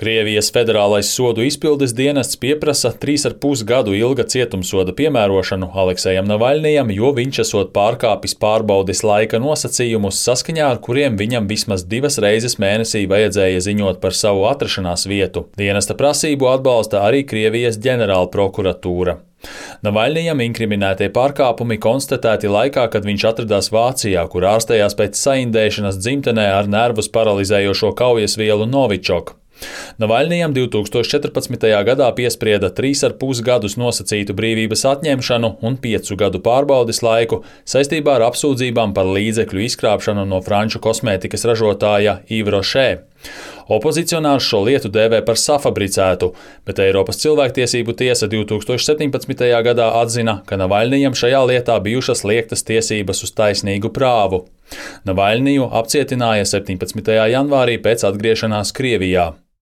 Krievijas federālais sodu izpildes dienests pieprasa 3,5 gadu ilga cietumsoda piemērošanu Aleksejam Navaļnijam, jo viņš esot pārkāpis pārbaudes laika nosacījumus, saskaņā ar kuriem viņam vismaz 2 reizes mēnesī vajadzēja ziņot par savu atrašanās vietu. Dienesta prasību atbalsta arī Krievijas ģenerālprokuratūra. Navaļnijam inkriminētie pārkāpumi konstatēti laikā, kad viņš atradās Vācijā, kur ārstējās pēc saindēšanas dzimtenē ar nervus paralizējošo kaujasvielu Novičok. Navaļnijam 2014. gadā piesprieda 3,5 gadus nosacītu brīvības atņemšanu un 5 gadu pārbaudes laiku saistībā ar apsūdzībām par līdzekļu izkrāpšanu no franču kosmētikas ražotāja Yves Rocher. Opozicionārs šo lietu dēvē par safabricētu, bet Eiropas cilvēktiesību tiesa 2017. gadā atzina, ka Navaļnijam šajā lietā bijušas liektas tiesības uz taisnīgu prāvu. Navaļniju apcietināja 17. janvārī pēc atgriešanās Krievijā.